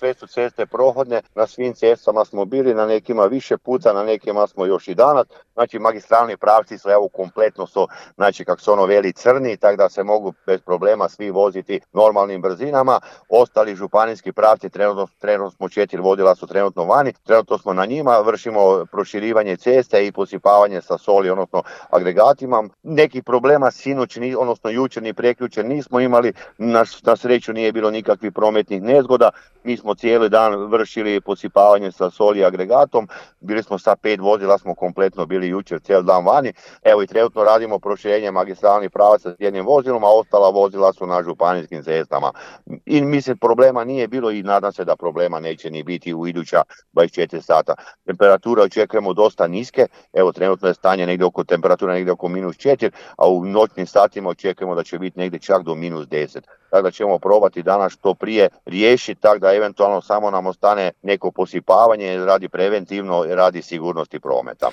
sve su ceste prohodne, na svim cestama smo bili, na nekima više puta, na nekima smo još i danas. Znači magistralni pravci su evo kompletno su, znači kako se ono veli crni, tako da se mogu bez problema svi voziti normalnim brzinama. Ostali županijski pravci, trenutno smo 4 vozila su trenutno vani, trenutno smo na njima, vršimo proširivanje ceste i posipavanje sa soli, odnosno agregatima. Nekih problema sinoć, odnosno jučer ni prekjučer nismo imali, na sreću nije bilo nikakvih prometnih nezgoda. Mi smo cijeli dan vršili posipavanje sa soli i agregatom, bili smo sa 5 vozila, smo kompletno bili jučer cijeli dan vani. Evo i trenutno radimo proširenje magistralnih pravaca s jednim vozilom, a ostala vozila su na županijskim cestama. I mislim problema nije bilo i nadam se da problema neće ni biti u iduća 24 sata. Temperature očekujemo dosta niske, evo trenutno je stanje negdje oko temperatura negdje oko -4, a u noćnim satima očekujemo da će biti negdje čak do -10. Tako da ćemo probati danas što prije riješiti, tako da eventualno samo nam ostane neko posipavanje radi preventivno, radi sigurnosti prometa.